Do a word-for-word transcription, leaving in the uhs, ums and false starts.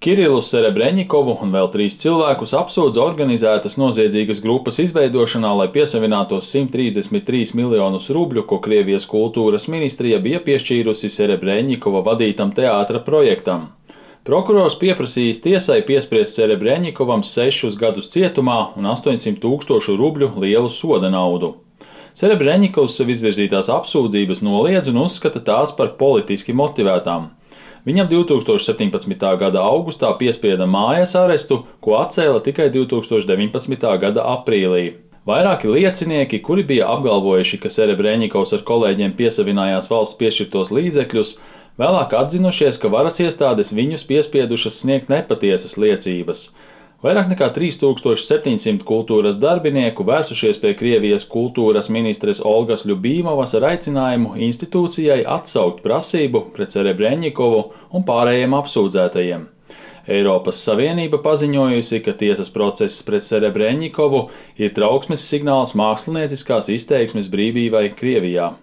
Kirillu Serebreņikovu un vēl trīs cilvēkus apsūdz organizētas noziedzīgas grupas izveidošanā, lai piesavinātos simt trīsdesmit trīs miljonus rubļu, ko Krievijas kultūras ministrija bija piešķīrusi Serebreņikova vadītam teātra projektam. Prokurors pieprasījis tiesai piespriest Serebreņikovam sešus gadus cietumā un astoņsimt tūkstošu rubļu lielu soda naudu. Serebreņikovs sev izvirzītās apsūdzības noliedz un uzskata tās par politiski motivētām. Viņam divtūkstoš septiņpadsmitā gada augustā piesprieda mājas arestu, ko atcēla tikai divtūkstoš deviņpadsmitā gada aprīlī. Vairāki liecinieki, kuri bija apgalvojuši, ka Serebreņikovs ar kolēģiem piesavinājās valsts piešķirtos līdzekļus, vēlāk atzinušies, ka varas iestādes viņus piespiedušas sniegt nepatiesas liecības. Vairāk nekā trīs tūkstoši septiņsimt kultūras darbinieku vērsušies pie Krievijas kultūras ministres Olgas Ļubīmovas ar aicinājumu institūcijai atsaukt prasību pret Serebreņikovu un pārējiem apsūdzētajiem. Eiropas Savienība paziņojusi, ka tiesas process pret Serebreņikovu ir trauksmes signāls mākslinieckās izteiksmes brīvībai Krievijā.